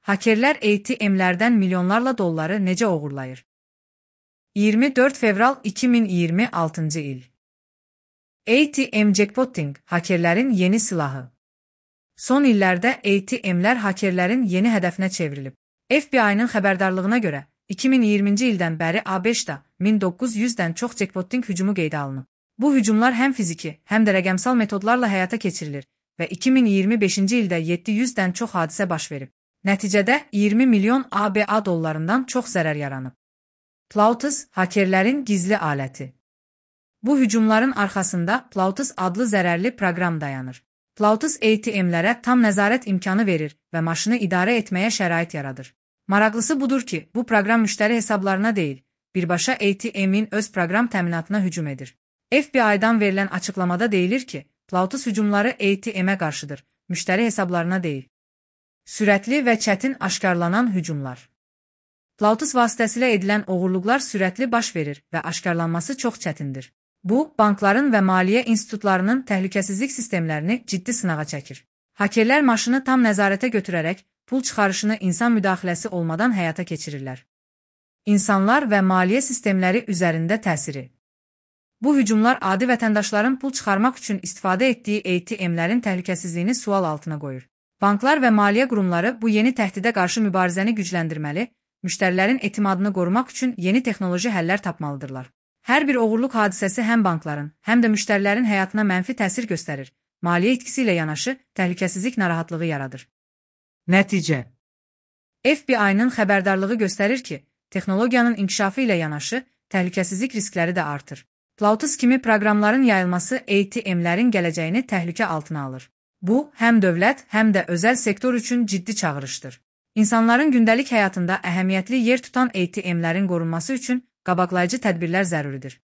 Hakerlər ATM-lərdən milyonlarla dolları necə oğurlayır? 24 fevral 2026 il. ATM jackpotting hakerlərin yeni silahı. Son illərdə ATM-lər hakerlərin yeni hədəfinə çevrilib. FBI-nın xəbərdarlığına görə 2020-ci ildən bəri ABŞ-da 1900-dən çox jackpotting hücumu qeydə alınıb. Bu hücumlar həm fiziki, həm də rəqəmsal metodlarla həyata keçirilir və 2025-ci ildə 700-dən çox hadisə baş verib. Nəticədə 20 milyon ABA dollarından çox zərər yaranıb. Plautus hakerlərin gizli aləti. Bu hücumların arxasında Plautus adlı zərərli proqram dayanır. Plautus ATM-lərə tam nəzarət imkanı verir və maşını idarə etməyə şərait yaradır. Maraqlısı budur ki, bu proqram müştəri hesablarına deyil, birbaşa ATM-in öz proqram təminatına hücum edir. FBI-dan verilən açıqlamada deyilir ki, Plautus hücumları ATM-ə qarşıdır, müştəri hesablarına deyil. Sürətli və çətin aşkarlanan hücumlar. Plautus vasitəsilə edilən oğurluqlar sürətli baş verir və aşkarlanması çox çətindir. Bu, bankların və maliyyə institutlarının təhlükəsizlik sistemlərini ciddi sınağa çəkir. Hakerlər maşını tam nəzarətə götürərək pul çıxarışını insan müdaxiləsi olmadan həyata keçirirlər. İnsanlar və maliyyə sistemləri üzərində təsiri. Bu hücumlar adi vətəndaşların pul çıxarmaq üçün istifadə etdiyi ATM-lərin təhlükəsizliyini sual altına qoyur. Banklar və maliyyə qurumları bu yeni təhdidə qarşı mübarizəni gücləndirməli, müştərilərin etimadını qorumaq üçün yeni texnoloji həllər tapmalıdırlar. Hər bir oğurluq hadisəsi həm bankların, həm də müştərilərin həyatına mənfi təsir göstərir, maliyyə itkisi ilə yanaşı təhlükəsizlik narahatlığı yaradır. Nəticə. FBI-nın xəbərdarlığı göstərir ki, texnologiyanın inkişafı ilə yanaşı təhlükəsizlik riskləri də artır. Plautus kimi proqramların yayılması ATM-lərin gələcəyini təhlükə altına alır. Bu, həm dövlət, həm də özəl sektor üçün ciddi çağırışdır. İnsanların gündəlik həyatında əhəmiyyətli yer tutan ATM-lərin qorunması üçün qabaqlayıcı tədbirlər zəruridir.